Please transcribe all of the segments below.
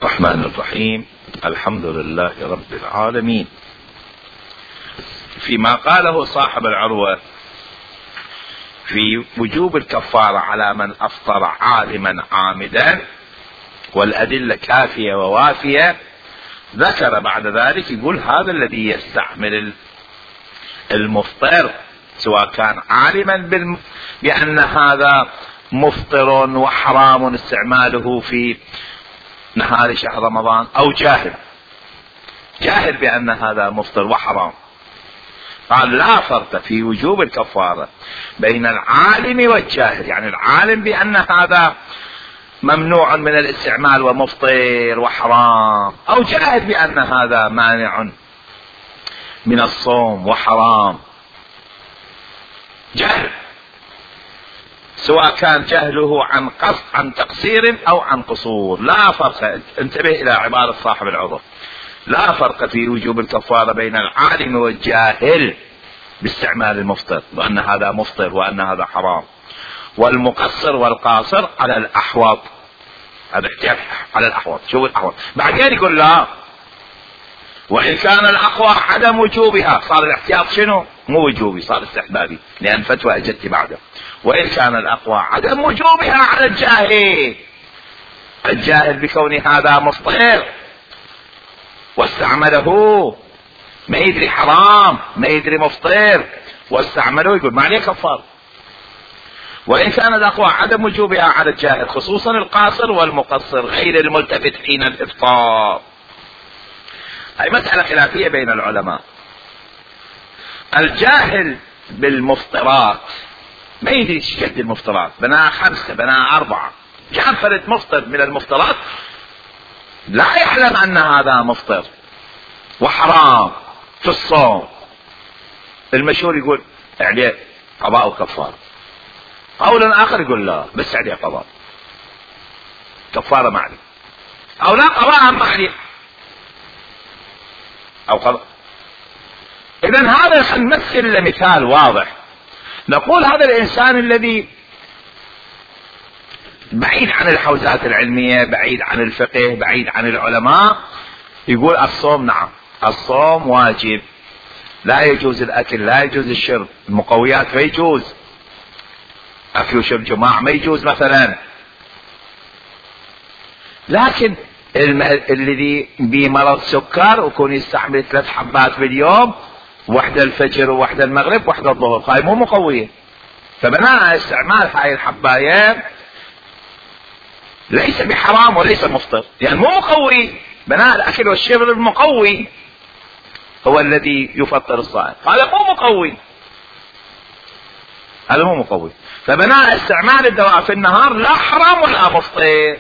الرحمن الرحيم. الحمد لله رب العالمين. فيما قاله صاحب العروة في وجوب الكفارة على من أفطر عالما عامدا والأدلة كافية ووافية، ذكر بعد ذلك يقول هذا الذي يستعمل المفطر سواء كان عالما بأن هذا مفطر وحرام استعماله في نهار شهر رمضان، أو جاهل بأن هذا مفطر وحرام، قال لا فرق في وجوب الكفارة بين العالم والجاهل. يعني العالم بأن هذا ممنوع من الاستعمال ومفطر وحرام، أو جاهل بأن هذا مانع من الصوم وحرام. جهل سواء كان جهله عن قصد عن تقصير أو عن قصور، لا فرق. انتبه إلى عبارة صاحب العذر، لا فرق في وجوب الكفارة بين العالم والجاهل باستعمال المفطر وأن هذا مفطر وأن هذا حرام، والمقصر والقاصر على الأحوط. هذا احتياج على الأحوط. شو الأحوط؟ بعدين يقول لا، وإن كان الأقوى عدم وجوبها، صار الاحتياط شنو؟ مو وجوبي، صار استحبابي، لأن فتوى أجت بعده. وإن كان الأقوى عدم وجوبها على الجاهل بكون هذا مفطر واستعمله، ما يدري حرام ما يدري مفطر واستعمله، يقول ما عليه كفار. وإن كان الأقوى عدم وجوبها على الجاهل، خصوصا القاصر والمقصر غير الملتفت حين الإفطار. هاي مسألة خلافية بين العلماء. الجاهل بالمفطرات ما يدري ايش قد المفطرات، بناها 5 بناها 4، جاب فرد مفطر من المفطرات لا يعلم أن هذا مفطر وحرام في الصوم، المشهور يقول عليه قضاء وكفارة. قول آخر يقول لا بس عليه قضاء، كفارة ما عليه، أو لا قضاء ما عليه أو قضاء. إذن هذا نمثل مثال واضح، نقول هذا الإنسان الذي بعيد عن الحوزات العلمية، بعيد عن الفقه، بعيد عن العلماء، يقول الصوم نعم الصوم واجب، لا يجوز الأكل لا يجوز الشرب، المقويات ما يجوز، أكل وشرب جماع ما يجوز مثلا. لكن الذي بمرض سكر ويكون يستعمل 3 حبات باليوم، واحدة الفجر وواحدة المغرب واحدة الظهر، هاي مو مقوية، فبناء استعمال هاي الحباية ليس بحرام وليس مفطر، يعني مو مقوي. بناء الأكل والشرب المقوي هو الذي يفطر الصائم، هذا مو مقوي، هذا مو مقوي. فبناء استعمال الدواء في النهار لا حرام ولا مفطر.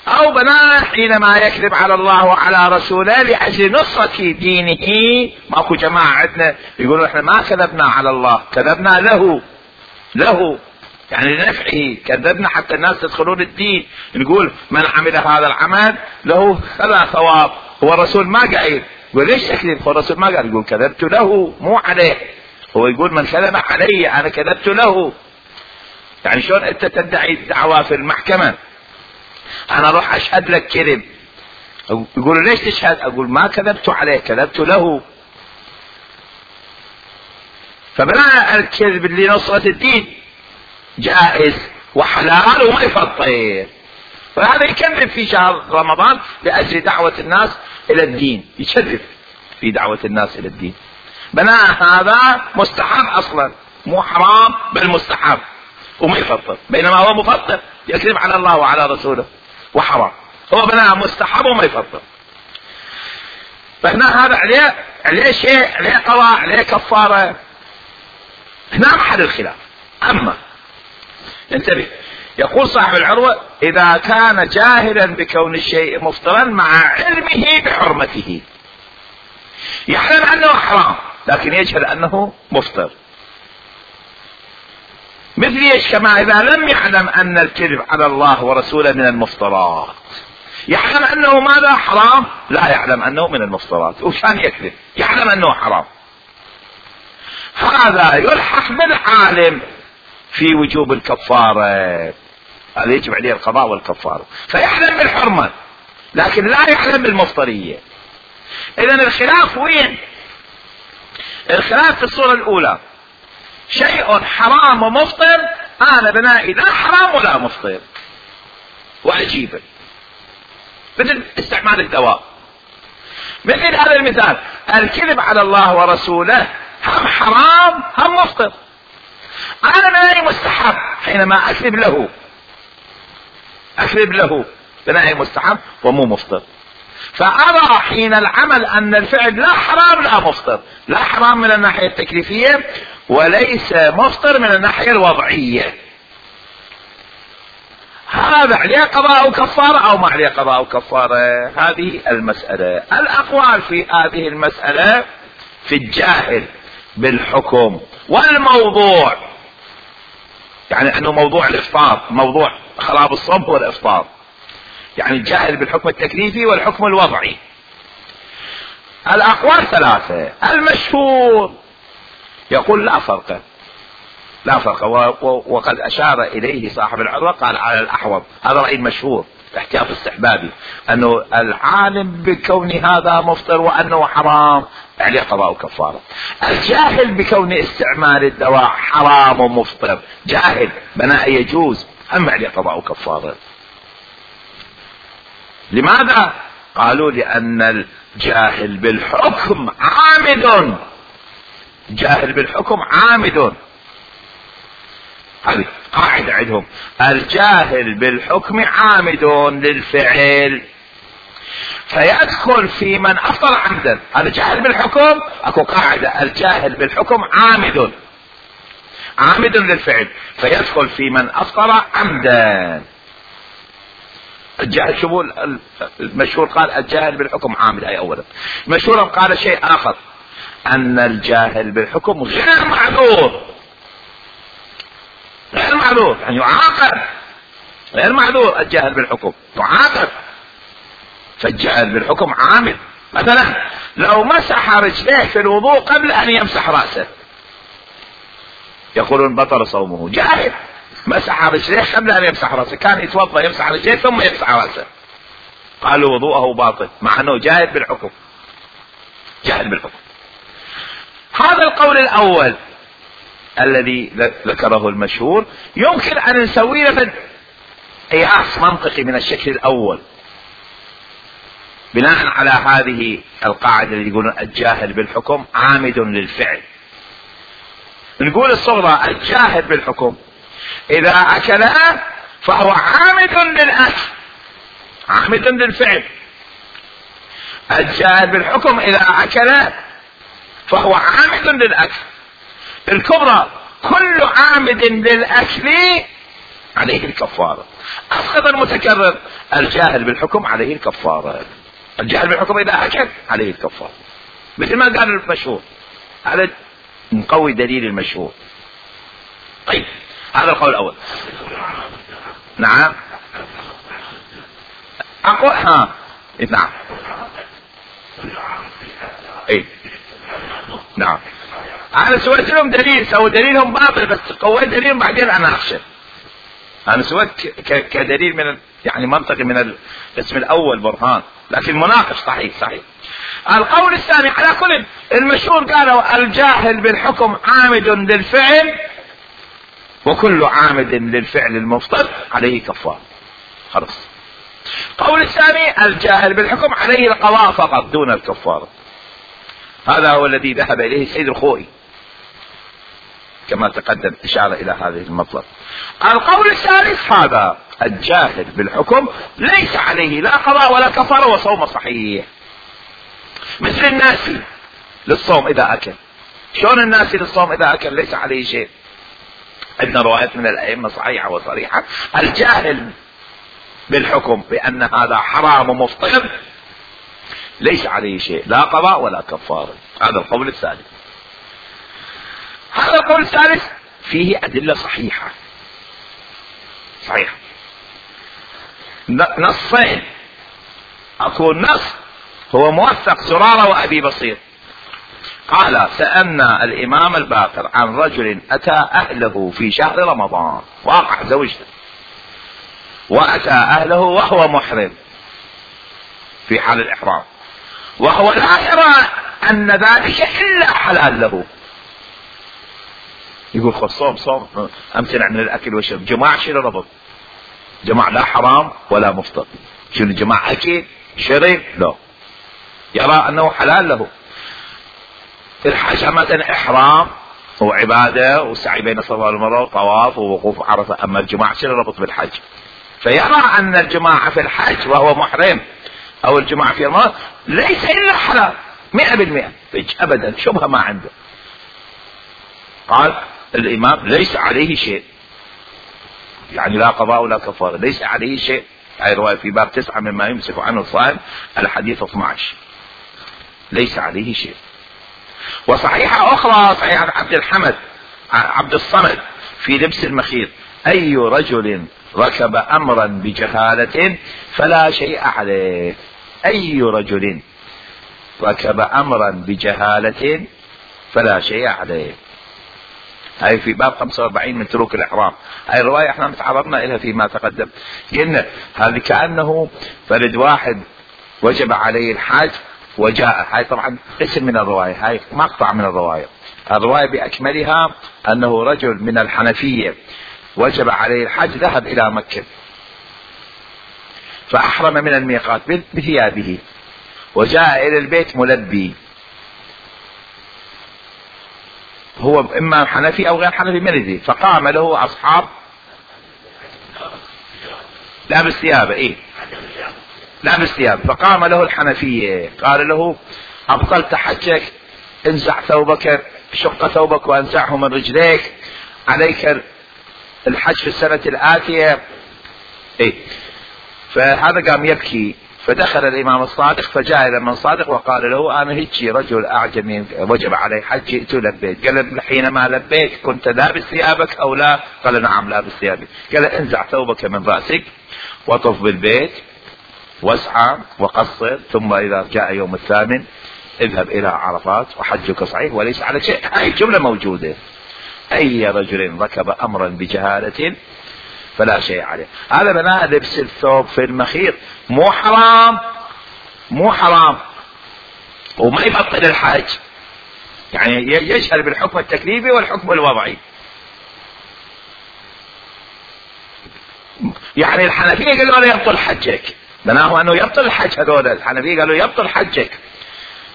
أو بناء حينما يكذب على الله وعلى رسوله لأجل نصرة دينه. ماكو جماعة عندنا يقولوا احنا ما كذبنا على الله، كذبنا له يعني لنفعه، كذبنا حتى الناس تدخلون الدين. نقول من عمل هذا العمل له كذا ثواب، هو الرسول ما قال. يقول ليش تكذب؟ هو الرسول ما قال، يقول كذبت له مو عليه. هو يقول من كذب علي أنا كذبت له. يعني شلون أنت تدعي الدعوة في المحكمة أنا أروح أشهد لك كذب، يقولوا ليش تشهد؟ أقول ما كذبت عليه كذبت له. فبناء الكذب لنصرة الدين جائز وحلال وما يفطر. فهذا يكذب في شهر رمضان لأجل دعوة الناس إلى الدين، يكذب في دعوة الناس إلى الدين. بناء هذا مستحب أصلا، مو حرام بل مستحب وما يفطر، بينما هو مفطر يكذب على الله وعلى رسوله وحرام. هو بناء مستحب وما يفطر. فهنا هذا عليه شيء، عليه قضاء، عليه كفارة. هنا محل الخلاف. أما انتبه، يقول صاحب العروة إذا كان جاهلا بكون الشيء مفطرا مع علمه بحرمته، يعلم أنه حرام لكن يجهل أنه مفطر. مثل ايش؟ كما إذا لم يعلم أن الكذب على الله ورسوله من المفطرات، يعلم أنه ماذا؟ حرام، لا يعلم أنه من المفطرات وكان يكذب، يعلم أنه حرام. هذا يلحق بالعالم في وجوب الكفارة. هذا يجب عليه القضاء والكفارة. فيحلم بالحرمة لكن لا يحلم بالمفطرية. اذا الخلاف وين؟ الخلاف في الصورة الاولى شيء حرام ومفطر، انا بنائي لا حرام ولا مفطر واجيبه، مثل استعمال الدواء. مثل هذا المثال، الكذب على الله ورسوله هم حرام هم مفطر، انا بنائي مستحب حينما اكذب له بنائي مستحب ومو مفطر. فأرى حين العمل أن الفعل لا حرام لا مفطر، لا حرام من الناحية التكليفية وليس مفطر من الناحية الوضعية. هذا عليه قضاء وكفارة أو ما عليه قضاء وكفارة؟ هذه المسألة. الأقوال في هذه المسألة في الجاهل بالحكم والموضوع، يعني أنه موضوع الإفطار، موضوع خراب الصوم هو الإفطار، يعني الجاهل بالحكم التكليفي والحكم الوضعي. الأقوال ثلاثة. المشهور يقول لا فرق، وقد أشار إليه صاحب العروة قال على الأحوط، هذا رأي المشهور احتياط استحبابي، أنه العالم بكون هذا مفطر وأنه حرام عليه قضاء وكفارة. الجاهل بكون استعمال الدواء حرام ومفطر، جاهل بناء يجوز، أما عليه قضاء وكفارة. لماذا؟ قالوا لأن الجاهل بالحكم عامد، جاهل بالحكم عامد. هذه قاعدة عندهم، الجاهل بالحكم عامد للفعل فيدخل في من أفطر عمدا. هذا جاهل بالحكم، اكو قاعدة الجاهل بالحكم عامد للفعل فيدخل في من أفطر عمدا. الجاهل شو المشهور قال الجاهل بالحكم عامد، اي اولا. المشهور قال شيء اخر، ان الجاهل بالحكم غير معذور، يعني يعاقب، غير معذور. الجاهل بالحكم يعاقب، فالجاهل بالحكم عامد. مثلا لو مسح رجليه في الوضوء قبل ان يمسح رأسه يقولون بطل صومه. جاهل مسح رجليه قبل ان يمسح رأسه، كان يتوضا يمسح رجليه ثم يمسح رأسه، قالوا وضوءه باطل مع انه جاهل بالحكم. هذا القول الاول الذي ذكره المشهور يمكن ان نسوي له قياس منطقي من الشكل الاول بناء على هذه القاعدة اللي يقولون الجاهل بالحكم عامد للفعل. نقول الصغرى الجاهل بالحكم اذا اكلها فهو عامد للاكل، عامد للفعل. الجاهل بالحكم اذا اكله فهو عامد للاكل. الكبرى كل عامد للاكل عليه الكفارة. اسقط المتكرر، الجاهل بالحكم عليه الكفارة. الجاهل بالحكم اذا اكل عليه الكفارة، مثل ما قال المشهور. هذا نقوي دليل المشهور. طيب هذا القول الاول. نعم اقول نعم نعم انا سويت لهم دليل، سووا دليلهم باطل بس قويت دليلهم بعدين انا اخشى. انا سويت كدليل من يعني منطقي من القسم الاول برهان، لكن مناقش صحيح. القول الثاني على كل المشهور قالوا الجاهل بالحكم عامد للفعل وكل عامد للفعل المفطر عليه كفارة. خلاص. القول الثاني الجاهل بالحكم عليه القضاء فقط دون الكفارة. هذا هو الذي ذهب اليه السيد الخوئي كما تقدم اشارة الى هذه المطلب. القول الثالث هذا الجاهل بالحكم ليس عليه لا قضاء ولا كفارة وصوم صحيح، مثل الناسي للصوم اذا اكل. شلون الناسي للصوم اذا اكل ليس عليه شيء؟ عندنا روايات من الائمة صحيحة وصريحة. الجاهل بالحكم بان هذا حرام ومفطر ليس عليه شيء لا قضاء ولا كفارة. هذا القول الثالث. هذا القول الثالث فيه ادلة صحيحة نصين. اكو نص هو موثق زرارة وابي بصير قال سألنا الامام الباقر عن رجل اتى اهله في شهر رمضان، واقع زوجته وأتى أهله وهو محرم في حال الإحرام، وهو لا يرى أن ذلك إلا حلال له، يقول خذ صوم امتنع من الاكل والشرب. جماعة شنو ربط؟ جماعة لا حرام ولا مفطر، شنو جماعة اكل شرب؟ لا، يرى انه حلال له. الحج مثلا احرام وعبادة وسعي بين الصفا والمروة وطواف ووقوف عرفة، اما الجماعة شنو ربط بالحج؟ فيرى ان الجماعة في الحج وهو محرم او الجماعة في المرض ليس الا حلال 100%، ابدا شبهة ما عنده. قال الامام ليس عليه شيء، يعني لا قضاء ولا كفارة، ليس عليه شيء. هاي رواية في باب 9 مما يمسك عنه الصائم، الحديث 12، ليس عليه شيء. وصحيحة اخرى صحيحة عبد الصمد في لبس المخيط: اي رجل ركب امرا بجهالة فلا شيء عليه. اي رجل ركب امرا بجهالة فلا شيء عليه. هاي في باب 45 من تروك الإحرام. هاي الرواية احنا تعرضنا إليها فيما تقدم، قلنا هذه كأنه فرد واحد وجب عليه الحج وجاء. هاي طبعا اسم من الرواية، هاي مقطع من الرواية. الرواية بأكملها أنه رجل من الحنفية وجب عليه الحج، ذهب إلى مكة فأحرم من الميقات بثيابه وجاء إلى البيت ملبي، هو اما حنفي او غير حنفي من يدري، فقام له اصحاب لابس ثيابه لابس ثيابه، فقام له الحنفية قال له: ابطلت حجك، انزع ثوبك، شق ثوبك وانزعه من رجليك، عليك الحج في السنة الآتية. فهذا قام يبكي، فدخل الامام الصادق فجاء الى من صادق وقال له: انا هيجي رجل اعجمي وجب علي حج، جئت لبيت. قال: حينما لبيت كنت لابس ثيابك او لا؟ قال: نعم لابس ثيابي. قال: انزع ثوبك من راسك وطف بالبيت واسعى وقصر، ثم اذا جاء يوم الثامن اذهب الى عرفات وحجك صحيح وليس على شيء. هاي الجملة موجودة: اي رجل ركب امرا بجهالة فلا شيء عليه. هذا بناء لبس الثوب في المخيط مو حرام وما يبطل الحج، يعني يشهر بالحكم التكليفي والحكم الوضعي. يعني الحنفية قالوا له يبطل حجك، بناه انه يبطل الحج. هذول الحنفية قالوا يبطل حجك.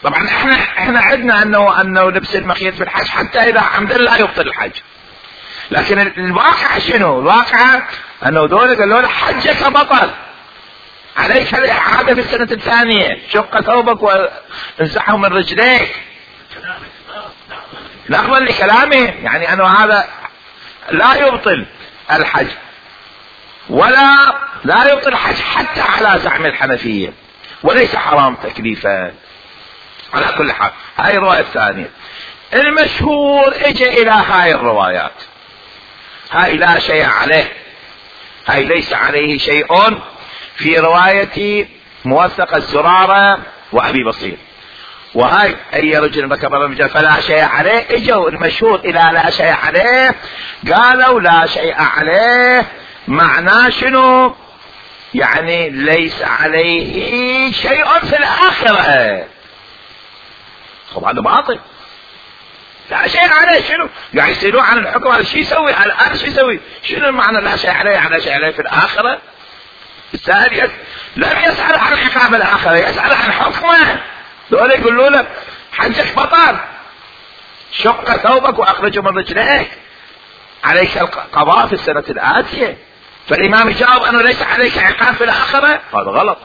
طبعا احنا عندنا انه لبس المخيط في الحج حتى اذا عمد لا يبطل الحج، لكن الواقع شنو؟ الواقع انه دول قالوا له حجك بطل، عليك الاعادة في السنة الثانية، شق ثوبك وانزعه من رجليك. نقبل لكلامه، يعني انه هذا لا يبطل الحج ولا لا يبطل الحج حتى على زعم الحنفية، وليس حرام تكليفا. على كل حال هاي الرواية الثانية. المشهور اجى الى هاي الروايات، هاي لا شيء عليه، هاي ليس عليه شيء، في رواية موثق الزرارة وابي بصير. وهاي اي رجل ركب رجل فلا شيء عليه، اجوا المشهور الى لا شيء عليه. قالوا لا شيء عليه معناه شنو؟ يعني ليس عليه شيء في الاخرة. طبعا هذا باطل، لا شيء عليه. شنو يعني يسألون عن الحكم؟ هذا شو يسوي الآن؟ شو يسوي؟ شنو المعنى لا شيء عليه؟ على شيء عليه في الآخرة. الثاني لم يسأل عن عقاب الآخرة، يسأل عن حكمه. دول يقولوا له حجك بطل، شق ثوبك واخرجه من رجليك، عليك القضاء في السنة الآتية. فالإمام جاوب أنه ليس عليك عقاب في الآخرة، هذا غلط.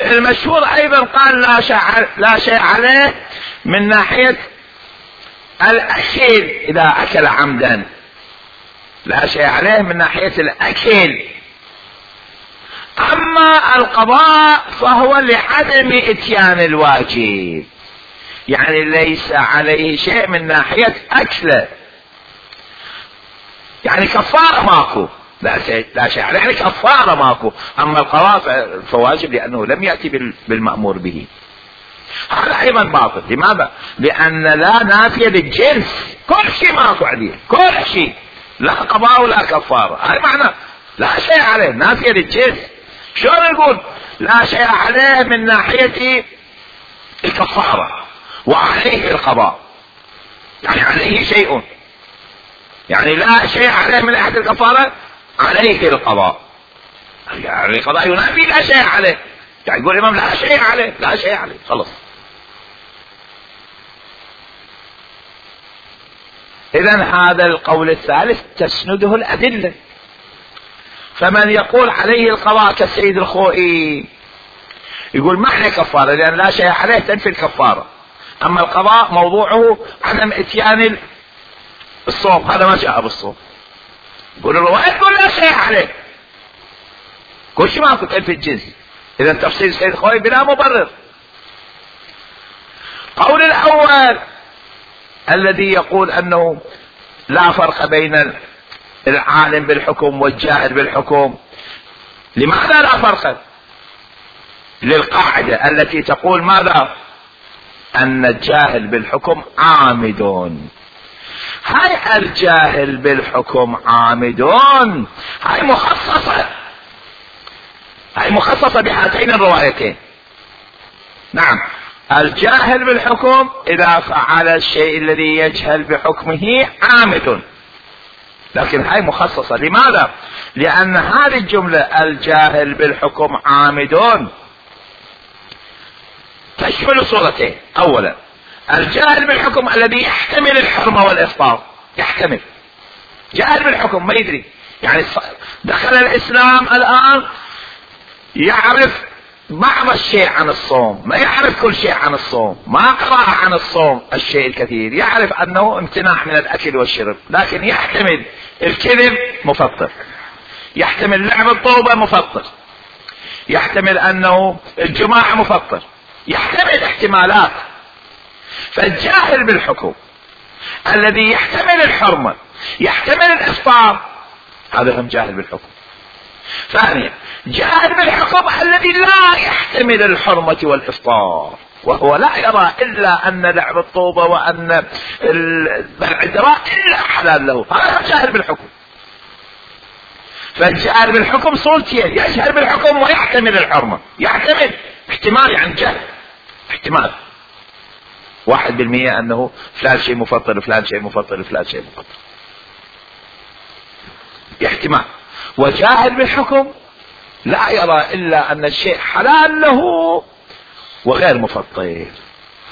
المشهور أيضا قال لا شيء عليه من ناحية الأكل إذا أكل عمدا، لا شيء عليه من ناحية الأكل. أما القضاء فهو لعدم إتيان الواجب، يعني ليس عليه شيء من ناحية أكله، يعني كفارة ماكو، لا شيء عليه يعني كفارة ماكو. أما القضاء فواجب لأنه لم يأتي بالمأمور به. هذا ايضا باطل. لماذا؟ لان لا نافية للجنس، كل شيء ماكو عليه، كل شيء، لا قضاء ولا كفارة. هذا معنى لا شيء عليه نافية للجنس. شلون نقول لا شيء عليه من ناحية الكفارة وعليه القضاء؟ يعني عليه شيء، يعني لا شيء عليه من ناحية الكفارة، عليه القضاء. يعني القضاء ينافي لا شيء عليه. يعني يقول الإمام لا شيء عليه، لا شيء عليه، خلص. إذن هذا القول الثالث تسنده الأدلة. فمن يقول عليه القضاء كالسيد الخوئي يقول ما عليه كفارة، لأن لا شيء عليه تنفي الكفارة، أما القضاء موضوعه عدم إتيان الصوم، هذا ما جاء بالصوم. يقول الرواية تقول لا شيء عليه، كل شيء ما كنت تنفي الجنس. إذا تفسير السيد الخوئي بلا مبرر. قول الأول الذي يقول أنه لا فرق بين العالم بالحكم والجاهل بالحكم، لماذا لا فرق؟ للقاعدة التي تقول ماذا؟ أن الجاهل بالحكم عامد. هاي الجاهل بالحكم عامد هاي مخصصة، هاي مخصصة بهاتين الروايتين. نعم، الجاهل بالحكم إذا فعل الشيء الذي يجهل بحكمه عامد، لكن هاي مخصصة. لماذا؟ لأن هذه الجملة الجاهل بالحكم عامد تشمل صورتين. أولا الجاهل بالحكم الذي يحتمل الحرمة والإفطار، يحتمل، جاهل بالحكم ما يدري، يعني دخل الإسلام الآن يعرف بعض الشيء عن الصوم، ما يعرف كل شيء عن الصوم، ما قرأ عن الصوم الشيء الكثير، يعرف أنه امتناع من الأكل والشرب، لكن يحتمل الكذب مفطر، يحتمل لعب الطوبة مفطر، يحتمل أنه الجماعة مفطر، يحتمل احتمالات. فالجاهل بالحكم الذي يحتمل الحرمة يحتمل الإفطار، هذا هم جاهل بالحكم. ثانيا جاهل بالحكم الذي لا يحتمل الحرمة والإفطار، وهو لا يرى إلا أن لعب الطوبة وأن بلع الدراء إلا حلال له، هذا جاهل بالحكم. فالجاهل بالحكم صورتين، يجهل بالحكم ويحتمل الحرمة، يحتمل احتمال، يعني جهل احتمال 1% أنه فلان شيء مفطر وفلان شيء مفطر وفلان شيء مفطر، احتمال. وجاهل بالحكم لا يرى إلا أن الشيء حلال له وغير مفطر،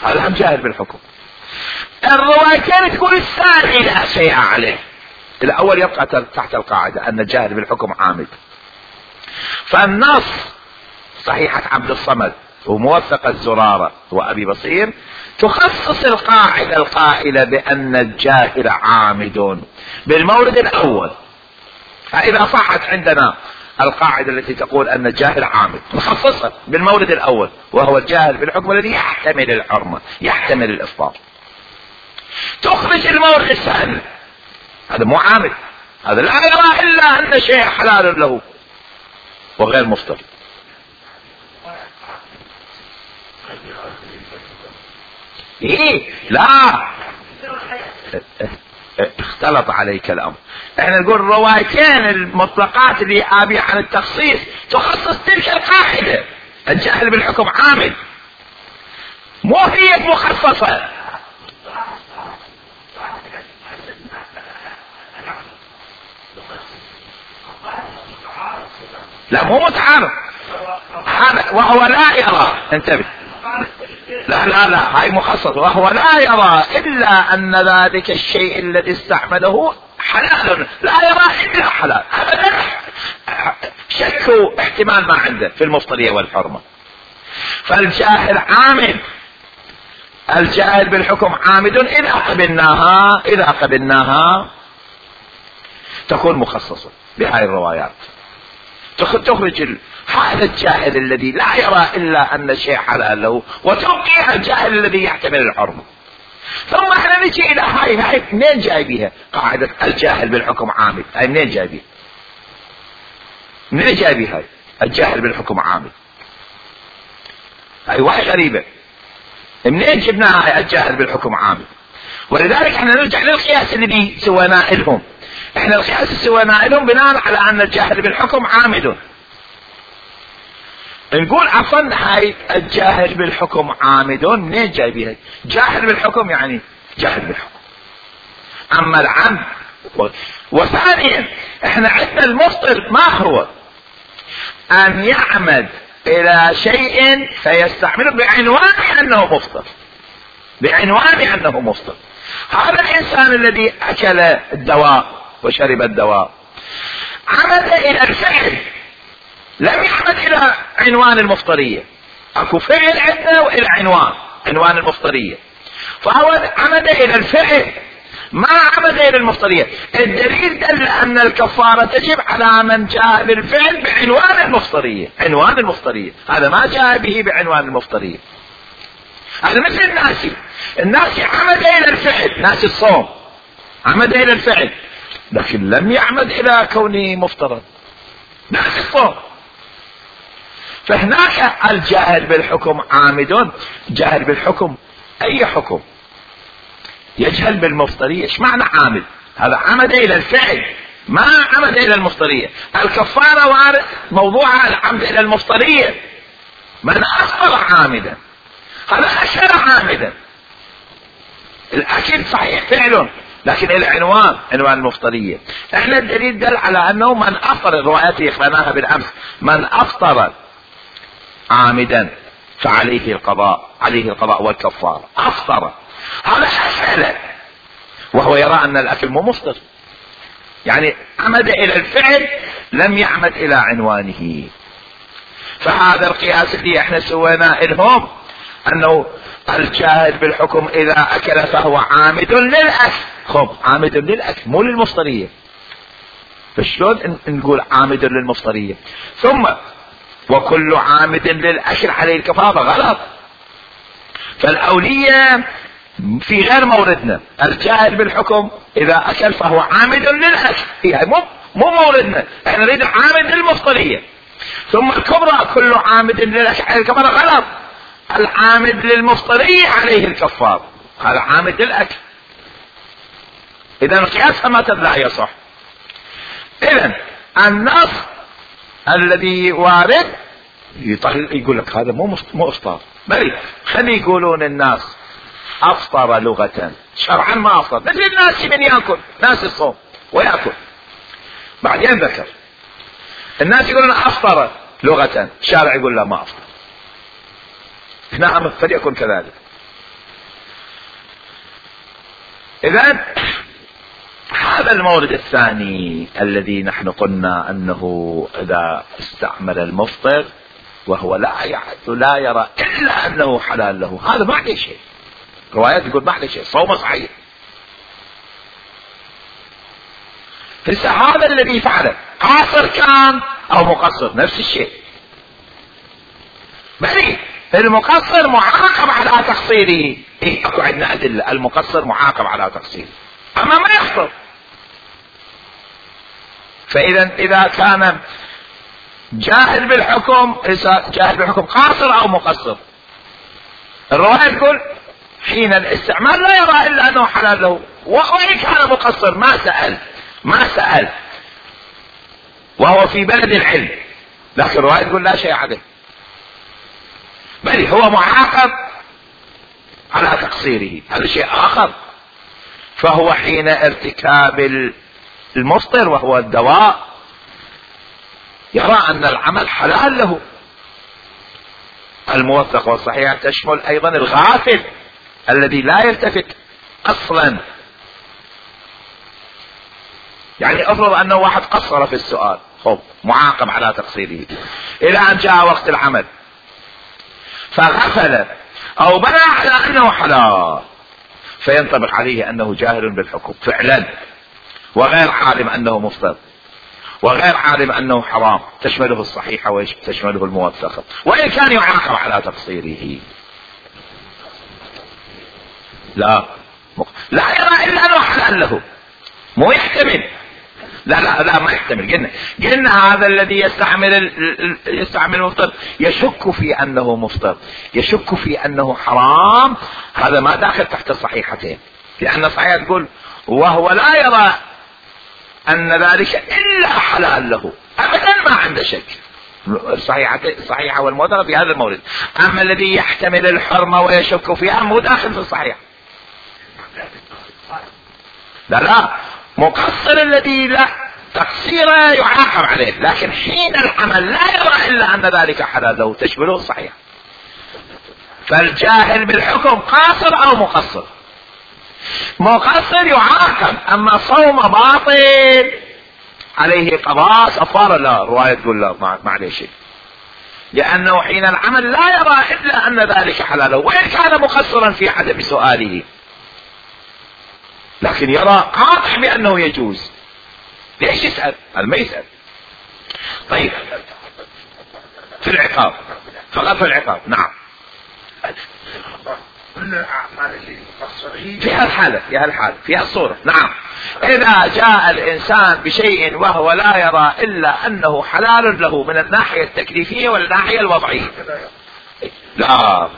هذا هم جاهل بالحكم. الروايتين تقول الثاني لا شيء عليه، الأول يبقى تحت القاعدة أن الجاهل بالحكم عامد. فالنص صحيحة عبد الصمد وموثقة زرارة وأبي بصير تخصص القاعدة القائلة بأن الجاهل عامد بالمورد الأول. فإذا صحت عندنا القاعدة التي تقول أن الجاهل عامد نخصصها بالمورد الأول، وهو الجاهل بالحكم الذي يحتمل الحرمة يحتمل الإفطار. تخرج المورد الثاني، هذا مو عامد، هذا لا يرى إلا أن شيء حلال له وغير مفطر. إيه لا اختلط عليك الأمر. احنا نقول الروايتين المطلقات اللي آبي عن التخصيص تخصص تلك القاعدة، الجاهل بالحكم عامل، مو هي مخصصة. لا مو متعارض، هذا وهو لا يرى، انتبه، لا هاي مخصص، وهو لا يرى إلا أن ذلك الشيء الذي استعمله حلال، لا يرى إلا حلال، أبدا شك احتمال ما عنده في المفطرية والحرمة. فالجاهل عامد، الجاهل بالحكم عامد. إذا قبلناها تكون مخصصة بهاي الروايات، تخرج هذا الجاهل الذي لا يرى إلا أن الشيء حلال له، وتوقيع الجاهل الذي يحتمل الحرمة. ثم احنا نجي إلى هاي منين جايبيها قاعدة الجاهل بالحكم عامل؟ هاي منين جايبيها؟ منين جايبيها هاي الجاهل بالحكم عامل؟ هاي واحد غريبة، منين جبناها هاي الجاهل بالحكم عامل؟ ولذلك احنا نرجع للقياس الذي سويناه لهم. احنا القياس اللي سويناه لهم بناء على ان الجاهل بالحكم عامد. نقول عفوا هاي الجاهل بالحكم عامد منين جايبيها؟ جاهل بالحكم يعني جاهل بالحكم. اما العمد وثانيا احنا عندنا المفطر ما هو ان يعمد الى شيء فيستعمله بعنوان انه مفطر، بعنوان انه مفطر. هذا الانسان الذي اكل الدواء وشرب الدواء عمد الى الفعل، لم يعمد الى عنوان المفطرية. اكو فعل عندنا والى عنوان المفطرية، فهو عمد الى الفعل ما عمد الى المفطرية. الدليل دل ان الكفارة تجب على من جاء بالفعل بعنوان المفطرية، عنوان المفطرية. هذا ما جاء به بعنوان المفطرية. هذا مثل الناسي عمد الى الفعل، ناسي الصوم عمد الى الفعل لكن لم يعمد الى كونه مفطرا، ناسي الصوم. فهناك الجاهل بالحكم عامد. جاهل بالحكم اي حكم يجهل بالمفطرية. ايش معنى عامد؟ هذا عمد الى الفعل ما عمد الى المفطرية. الكفارة وارد موضوعها العمد الى المفطرية. من افطر عامدا هذا اكل عامدا. الاكل صحيح فعل لكن العنوان عنوان المفطرية. احنا الدليل دل على انه من افطر، الروايات قرأناها بالامس، من افطر عامدا فعليه القضاء، عليه القضاء والكفارة. افطر هذا أكل وهو يرى ان الاكل مو مفطر، يعني عمد الى الفعل لم يعمد الى عنوانه. فهذا القياس اللي احنا سويناه لهم انه الجاهل بالحكم اذا اكل فهو عامد للاكل. خب عامد للاكل مو للمفطرية. فشلون نقول عامد للمفطرية؟ ثم وكل عامد للاكل عليه الكفارة. غلط. فالاولية في غير موردنا. الجاهل بالحكم اذا اكل فهو عامد للاكل، هي مو موردنا. احنا نريد عامد للمفطرية. ثم الكبرى كل عامد للاكل عليه الكفارة. غلط. العامد للمفطرية عليه الكفار، هذا عامد للاكل. اذا القياس متى لا يصح. اذا النص الذي وارد يقول لك هذا مو افطار، بل خلي يقولون الناس افطر لغة، شرعا ما افطر. مثل الناس من ياكل، ناس الصوم وياكل. بعدين ذكر الناس يقولون افطر لغة، الشارع يقول لا ما افطر. نعم فليكن كذلك. اذا هذا المورد الثاني الذي نحن قلنا انه اذا استعمل المفطر وهو لا يرى الا انه حلال له، هذا ما عليه شيء. روايات يقول ما عليه شيء، صومه صحيح. هذا الذي فعله قاصر كان او مقصر نفس الشيء. بل المقصر معاقب على تقصيره. اكو عندنا ادله المقصر معاقب على تقصيره، اما ما يخطر. فاذا اذا كان جاهل بالحكم، جاهل بالحكم قاصر او مقصر، الرواية تقول حين الاستعمال لا يرى الا انه حلال له، وان كان مقصر ما سأل وهو في بلد العلم، لكن الرواية تقول لا شيء عليه، بل هو معاقب على تقصيره، هذا شيء اخر. فهو حين ارتكاب المفطر وهو الدواء يرى ان العمل حلال له. الموثق والصحيح تشمل ايضا الغافل الذي لا يلتفت اصلا. يعني افرض انه واحد قصر في السؤال، خب معاقب على تقصيره الى ان جاء وقت العمل فغفل او بنى على انه حلال، فينطبق عليه انه جاهل بالحكم فعلا، وغير عالم انه مفطر، وغير عالم انه حرام. تشمله الصحيحة وتشمله الموثقة، وان كان يعاقب على تقصيره. لا يرى الا انه حلال له، مو يحتمل. لا ما يحتمل. قلنا هذا الذي يستعمل المفطر يشك في انه مفطر، يشك في انه حرام، هذا ما داخل تحت الصحيحتين. لأن الصحيحة تقول وهو لا يرى أن ذلك إلا حلال له أبدا، ما عنده شك. الصحيحة والموضوع في هذا المورد. أما الذي يحتمل الحرمة ويشك فيها مو داخل في الصحيح. لا مقصر الذي لا تقصيره يعاقب عليه، لكن حين العمل لا يرى إلا أن ذلك حلال له تشمله الصحيح. فالجاهل بالحكم قاصر أو مقصر؟ مقصر يعاقب، أما صوم باطل عليه قضاء كفارة لا، رواية تقول لا ما عليه شيء، لأنه حين العمل لا يرى إلا أن ذلك حلاله، وإن كان مقصرا في عدم سؤاله لكن يرى قاطع بأنه يجوز. ليش يسأل؟ هذا ما يسأل. طيب في العقاب فقط في العقاب. نعم في هالحالة في هالصورة. نعم إذا جاء الإنسان بشيء وهو لا يرى إلا أنه حلال له من الناحية التكليفية والناحية الوضعية. لا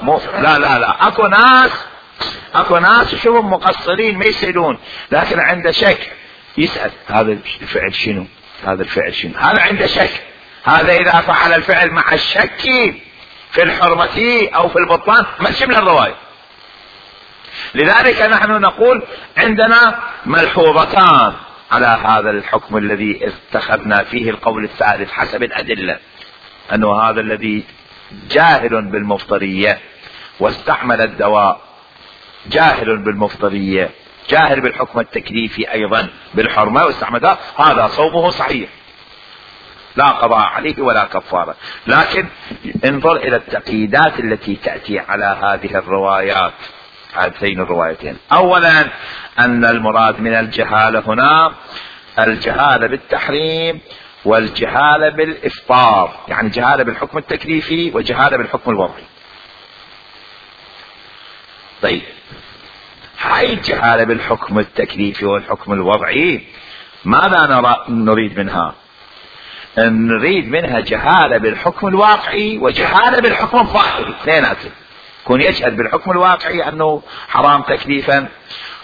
اكو ناس شوفهم مقصرين ما يسألون، لكن عنده شك يسأل هذا الفعل شنو، هذا الفعل شنو، هذا عنده شك. هذا إذا فعل الفعل مع الشك في الحرمة أو في البطلان ما تشمل الرواية. لذلك نحن نقول عندنا ملحوظتان على هذا الحكم الذي اتخذنا فيه القول الثالث حسب الأدلة، أنه هذا الذي جاهل بالمفطرية واستعمل الدواء جاهل بالمفطرية جاهل بالحكم التكليفي أيضا بالحرمة واستعمل، هذا صومه صحيح لا قضاء عليه ولا كفارة. لكن انظر إلى التقييدات التي تأتي على هذه الروايات، هاتين الروايتين. أولا أن المراد من الجهالة هنا الجهالة بالتحريم والجهالة بالإفطار، يعني جهالة بالحكم التكليفي وجهالة بالحكم الوضعي. طيب هاي الجهالة بالحكم التكليفي والحكم الوضعي ماذا نريد منها؟ نريد منها جهالة بالحكم الواقعي وجهالة بالحكم الظاهري، اثنيناتهم. يكون يجهل بالحكم الواقعي أنه حرام تكليفا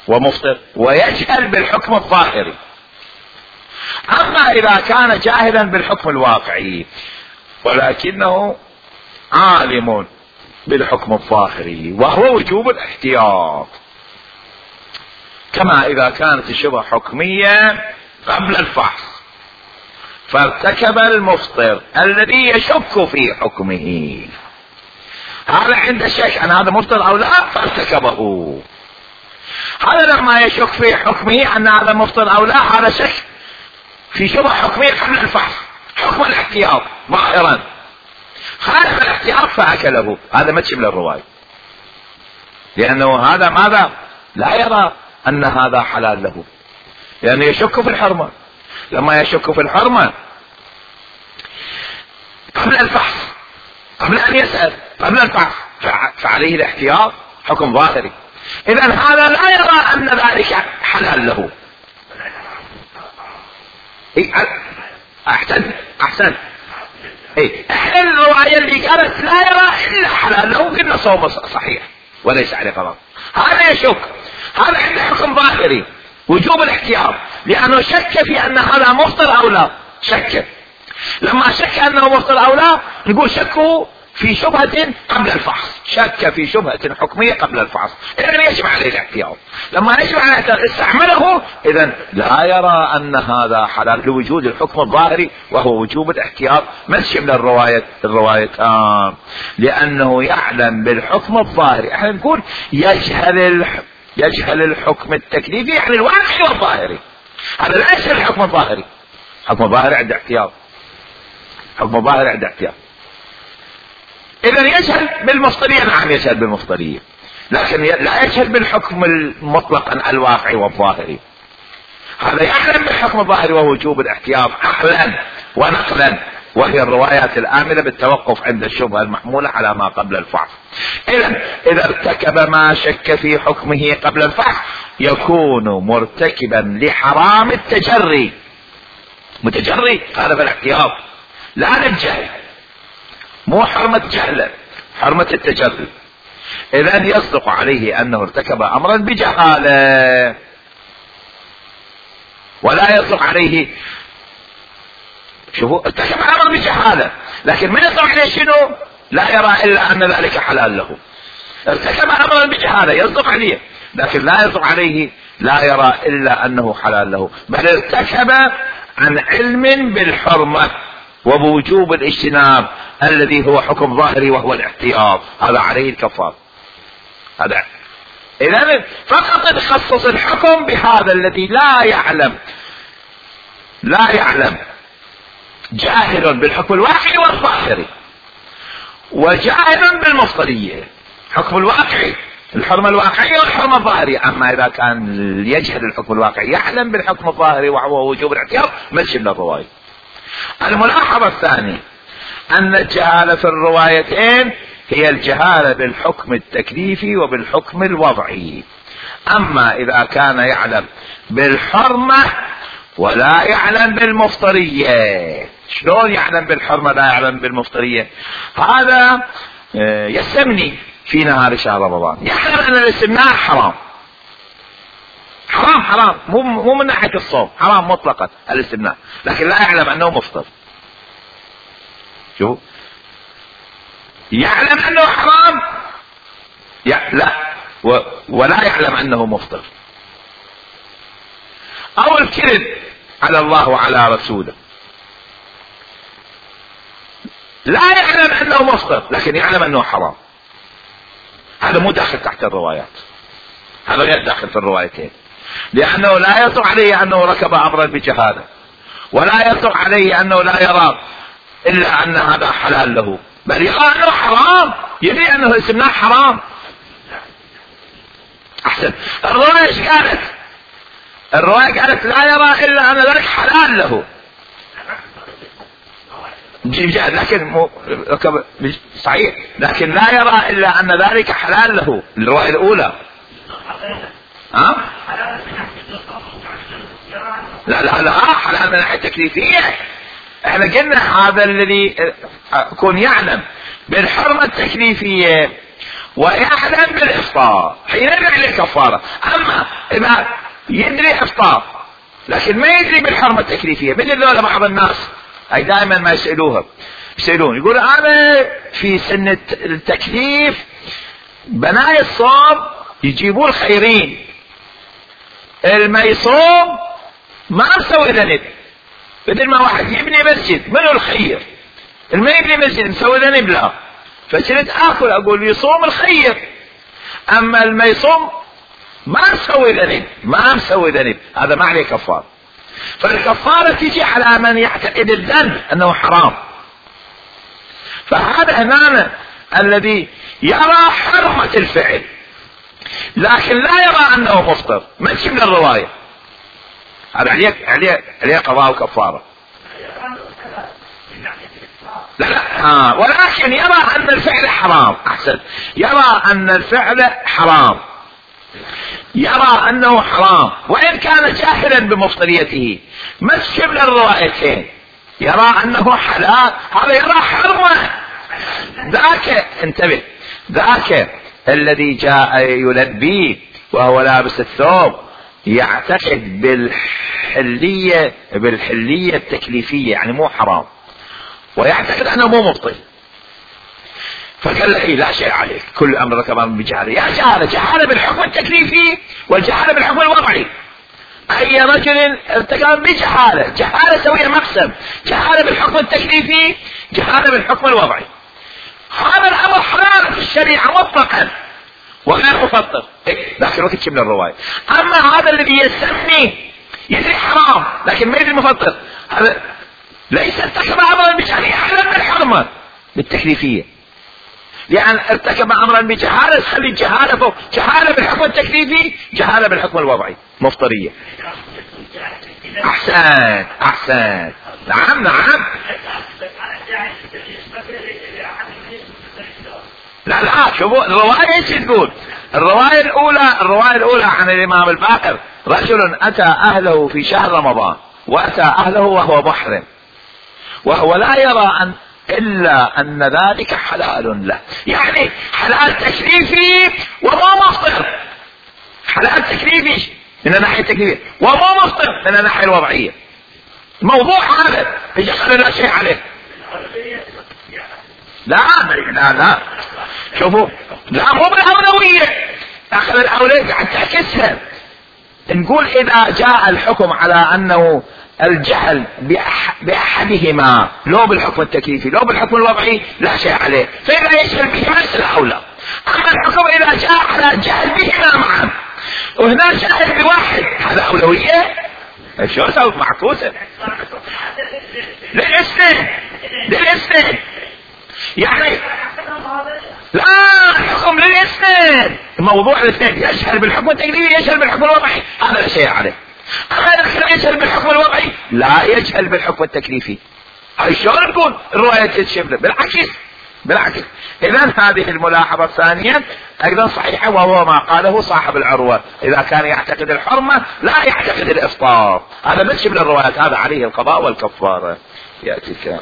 ومفطر، ويجهل بالحكم الظاهري. أما إذا كان جاهلا بالحكم الواقعي ولكنه عالم بالحكم الظاهري وهو وجوب الاحتياط، كما إذا كانت الشبهة حكمية قبل الفحص فارتكب المفطر الذي يشك في حكمه، هذا عنده شك أن هذا مفطر أو لا فارتكبه. هذا لما يشك في حكمه أن هذا مفطر أو لا، هذا شك في شبهة حكمية قبل الفحص، حكم الاحتياط ظاهرا، خالف الاحتياط فأكله، هذا ما تشمل الرواية، لأنه هذا ماذا لا يرى أن هذا حلال له، لأنه يشك في الحرمة. لما يشك في الحرمة قبل الفحص، قبل أن يسأل، قبل الفحص، فعليه الاحتياط حكم ظاهري. إذن هذا لا يرى أن ذلك حلال له. أحسن احنا الرواية اللي قالت لا يرى إلا حلال له قلنا صوم صحيح وليس عليه قضاء، هذا يشك، هذا عنده حكم ظاهري وجوب الاحتياط، لأنه شك في أن هذا مفطر أو لا، شك. لما شك أنه مفطر أو لا نقول شكه في شبهة قبل الفحص، شك في شبهة حكمية قبل الفحص، إذن يجب عليه الاحتياط. لما يجب عليه الاحتياط استعمله، إذن لا يرى أن هذا حلال لوجود الحكم الظاهري وهو وجوب الاحتياط، ما تشمل الروايتان، لأنه يعلم بالحكم الظاهري. احنا نقول يجهل الحكم التكليفي، يعني الواقعي والظاهري، هذا لا يشهل الحكم الظاهري. حكم الظاهري عنده احتياط، حكم الظاهري عنده احتياط. إذن يجهل بالمفطرية، نعم يجهل بالمفطرية، لكن لا يجهل بالحكم المطلق الواقعي والظاهري. هذا يعلم بالحكم الظاهري وهو وجوب الاحتياط عقلا ونقلا، وهي الروايات الآمنة بالتوقف عند الشبهة المحمولة على ما قبل الفحص. إذا ارتكب ما شك في حكمه قبل الفحص يكون مرتكبا لحرام التجري، متجري هذا في الاحتياط، لا للجهل، مو حرمة جهل، حرمة التجري. اذا يصدق عليه انه ارتكب امرا بجهالة، ولا يصدق عليه، شوفوا ارتكب امرا بجهالة، لكن ما يصدق عليه شنو؟ لا يرى الا ان ذلك حلال له. ارتكب امرا بجهالة يصدق عليه، لكن لا يصدق عليه، لا يرى الا انه حلال له، بل ارتكب عن علم بالحرمة وبوجوب الاجتناب الذي هو حكم ظاهري وهو الاحتياط، هذا عليه الكفار. هذا اذا فقط تخصص الحكم بهذا الذي لا يعلم جاهل بالحكم الواقعي والظاهري، وجاهل بالمفضلية، حكم الواقعي الحرمة الواقعية والحرمة الظاهرية. اما اذا كان يجهل الحكم الواقعي يعلم بالحكم الظاهري وهو وجوب الاحتياط، مشي للرواية. الملاحظة الثانية ان الجهالة في الروايتين هي الجهالة بالحكم التكليفي وبالحكم الوضعي. اما اذا كان يعلم بالحرمة ولا يعلم بالمفطرية، شلون يعلم بالحرمة لا يعلم بالمفطرية؟ هذا يستمني في نهار شهر رمضان، يعلم ان الاستمناء حرام، حرام مو من ناحية الصوم، حرام مطلقا الاستمناء، لكن لا يعلم انه مفطر. شوف، يعلم انه حرام لا ولا يعلم انه مفطر. او الكذب على الله وعلى رسوله، لا يعلم انه مفطر لكن يعلم انه حرام، هذا مو داخل تحت الروايات، هذا غير داخل في الروايتين، لانه لا يصدق عليه انه ركب امرا بجهاله، ولا يصدق عليه انه لا يرى الا ان هذا حلال له، بل يرى انه حرام، يدري انه الاستمناء حرام. احسن، الرواية ايش قالت؟ الرواية قالت لا يرى الا ان ذلك حلال له، لكن صحيح، لكن لا يرى الا ان ذلك حلال له. الرواية الاولى لا حلال من الناحية التكليفية. احنا قلنا هذا الذي يكون يعلم بالحرمة التكليفية ويعلم بالافطار حين يدري عليه كفارة. اما اذا يدري افطار لكن ما يدري بالحرمة التكليفية، مثل ذولا بعض الناس اي دائما ما يسألون يقول انا في سنة التكليف بناي الصوم يجيبون خيرين، الما يصوم ما مسوي ذنب، بدل ما واحد يبني مسجد منو الخير؟ الما يبني مسجد مسوي ذنب لا، فصرت اكل اقول يصوم الخير، اما الما يصوم ما مسوي ذنب، هذا ما عليه كفار. فالكفارة تجي على من يعتقد الذنب انه حرام. فهذا هنا الذي يرى حرمة الفعل لكن لا يرى انه مفطر، ما تجي من الرواية، هذا عليه قضاء وكفارة. لا ولكن يرى ان الفعل حرام. احسن، يرى ان الفعل حرام، يرى انه حرام وان كان جاهلا بمفطريته، ما تجي من الروايتين، يرى انه حلال، هذا يرى حرمة. ذاك انتبه، ذاك الذي جاء يلبي وهو لابس الثوب يعتقد بالحلية التكليفية، يعني مو حرام، ويعتقد انه مو مبطل، فقال له لا شيء عليك، كل امر كمان بجهاله. يا جهاله بالحكم التكليفي والجهاله بالحكم الوضعي. اي رجل ارتكب جهاله سوية مقسم، جهاله بالحكم التكليفي، جهاله بالحكم الوضعي. هذا الامر حلال في الشريعه مطلقا وغير مفطر، لكن ما تجي من الروايه. اما هذا الذي يسمي يدري حرام لكن ما يدري مفطر، هذا ليس ارتكب امرا بجهاله، يعلم بالحرمه بالتكليفيه، لان ارتكب امرا بجهاله تخلي الجهاله فوق جهاله بالحكم التكليفي، جهاله بالحكم الوضعي، مفطريه. احسن نعم. لا شوفوا الرواية ايش تقول. الرواية الأولى عن الإمام الباقر: رجل أتى أهله في شهر رمضان وأتى أهله وهو محرم، وهو لا يرى الا ان ذلك حلال له. يعني حلال تكليفي وما مفطر، حلال تكليفي من الناحية التكليفية وما مفطر من الناحية الوضعية. الموضوع هذا يجعل لا شيء عليه. لا لا لا شوفوا، لا مو بالأولوية، اخذ الأولوية قاعد تعكسها. نقول اذا جاء الحكم على انه الجهل باحدهما لو بالحكم التكليفي لو بالحكم الوضعي لا شيء عليه، فاذا يشمل بهما الاولى. اما الحكم اذا جاء على الجهل بهما معا وهنا جهل بواحد هذا اولوية، شو صوت معكوسة للاثنين يعني لا الحكم للاثنين، موضوع الاثنين يشهر بالحكم التكليفي يشهر بالحكم الوضعي هذا لا شيء عليه. اما يشهر بالحكم الوضعي لا يشهر بالحكم التكليفي. هاي شلون تكون الرواية تشمل؟ بالعكس. اذا هذه الملاحظة الثانية ايضا صحيحة، وهو ما قاله صاحب العروة، اذا كان يعتقد الحرمة لا يعتقد الافطار، هذا من شمل الروايات، هذا عليه القضاء والكفارة. يأتي الكلام.